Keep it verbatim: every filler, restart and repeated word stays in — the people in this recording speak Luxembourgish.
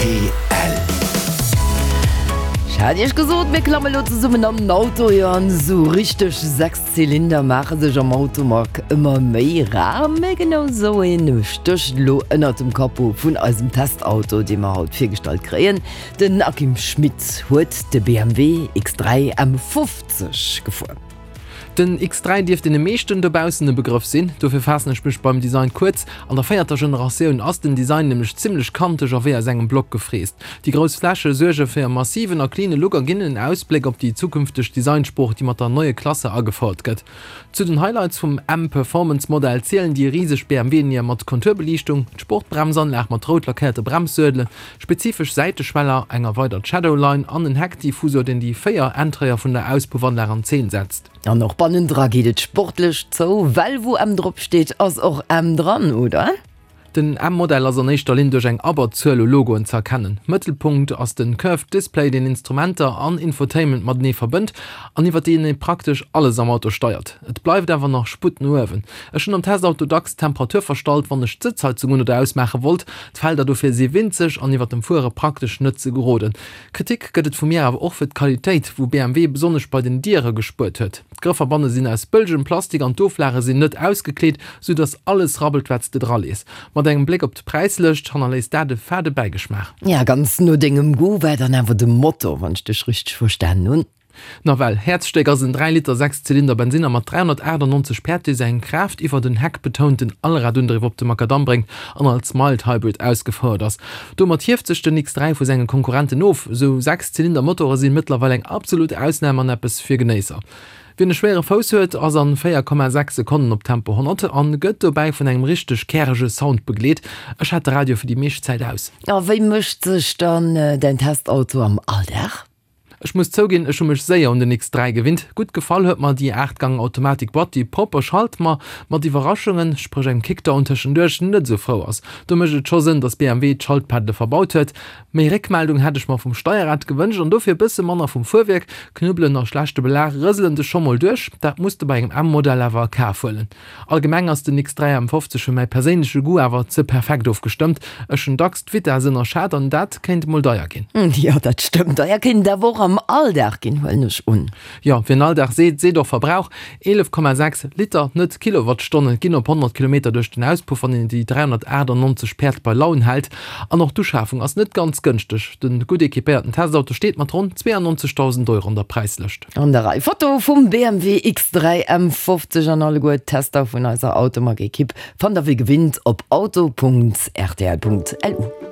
Rtl. Ech hat iech gesot, mir klamme lo zesummen an den Auto. Jo, an esou richteg Sechszylinder maache sech am Automag ëmmer méi rar. Mee genau esou een stécht elo ënnert dem Capot vun eisem Testauto, dee mer haut virgestallt kréien. Den Akim Schmit huet de B M W X dräi M fofzeg gefuer. Den X dräi dierft deene meeschten dobaussen e Begrëff sinn, dofir faassen ech mech beim Design kuerz. An der véierter Generatioun ass den Design nämlech zimmlech kanteg a wéi aus engem Block gefräst. Déi grouss Fläche suerge fir e massiven a cleane Look a ginn en Ausbléck op déi zukünfteg Designsprooch, déi mat der neue Klasse agefouert gëtt. Zu den Highlights vum M-Performance-Modell zielen déi riseg B M W-Nier mat Konturbeliichtung, d'Sportbremsanlag mat rout lackéierte Bremssuedelen, spezifesch Säiteschweller, eng erweidert Shadowline an en Heckdiffusor, deen déi véier Entréeër vun der Auspuffanlag an Zeen setzt. An och bannendra geet et sportlech zou, well wou M drop steet, ass och M dran, oder? Den M-Modell ass an éischter Linn duerch eng Abberzuel u Logoen ze erkennen. Mëttelpunkt ass den Curved Display, deen Instrumenter an Infotainment matenee verbënnt an iwwer deen ee praktesch alles am Auto steiert. Et bleift awer nach Sputt no uewen. Ech hunn am Testauto dacks d'Temperatur verstallt, wann ech d'Sëtzheizung un oder ausmaache wollt. D'Felder dofir si winzeg an iwwer dem Fuere praktesch net ze geroden. Kritik gëtt et vu mir awer och fir d'Qualitéit, wou B M W besonnesch bei den Diere gespuert huet. D'Grëffer banne sinn aus bëllegem Plastik an d'Oflage sinn net ausgekleet, sou datt alles rabbelt, wat s de dralees. Mat engem Bléck op d'Präislëscht hannerléisst dat e fade Bäigeschmaach. Ja, ganz no dengem Goût war dann awer de Motto, wann ech dech richteg verstanen hunn. Nawell, Häerzstéck ass en dräi Liter Sechszylinder Bensinner mat dräihonnertachtannonzeg Päerd, dee seng Kraaft iwwer den heckbetounten Allradundriff op de Makadamm bréngt an als Mild Hybrid ausgefouert ass. Domat hieft sech den X dräi vu senge Konkurrenten of. Esou Sechszylinder-Motore si mëttlerweil eng absolut Ausnam an eppes fir Genéisser. Wien e schwéiere Fouss huet, ass an véier Komma sechs Sekonnen op Tempo honnert an gëtt dobäi vun engem richteg kärege Sound begleet. Ech hat de Radio fir déi meescht Zäit aus. A wéi mécht sech dann däin Testauto am Alldag? Ech muss zouginn, ech hu mech séier un den X dräi gewinnt. Gutt gefall huet mer déi aacht-Gang-Automatik-Boîte, déi propper schalt, ma mat Iwwerraschungen, spréch engem Kickdown tëschenduerch, net esou frou ass. Do mécht et scho Sënn, datt B M W d'Schaltpaddele verbaut huet. Méi Réckmeldung hätt ech mer vum Steierrad gewënscht an dofir e bësse manner vum Fuerwierk. Knubbelen a schlechte Belag rëselen dech scho mol duerch. Dat muss de bei engem M-Modell awer a Kaf huelen. Allgemeng ass den X dräi M fofzeg fir mäi perséinleche Goût awer ze perfekt ofgestëmmt. Ech hunn dacks d'Vitess ënnerschat an dat kéint mol deier ginn. Jo, dat stëmmt. Deier kéint et awer och am Alldag ginn, huelen ech un. Jo, wien Alldag seet, seet och Verbrauch. Eelef Komma sechs Liter, net Kilowattstonnen, ginn op honnert Kilometer duerch den Auspuff, wann een déi dräihonnertachtannonzeg Päerd bei Laun hält. An och d'Uschafung ass net ganz gënschteg. De gutt equipéierten Testauto steet mat ronn zweeannonzegdausend Euro an der Präislëscht. An der Rei Foto vum B M W X dräi M fofzeg an alleguer d'Tester vun eiser Automag-Ekipp fannt der wéi gewinnt op auto punkt r t l punkt l u.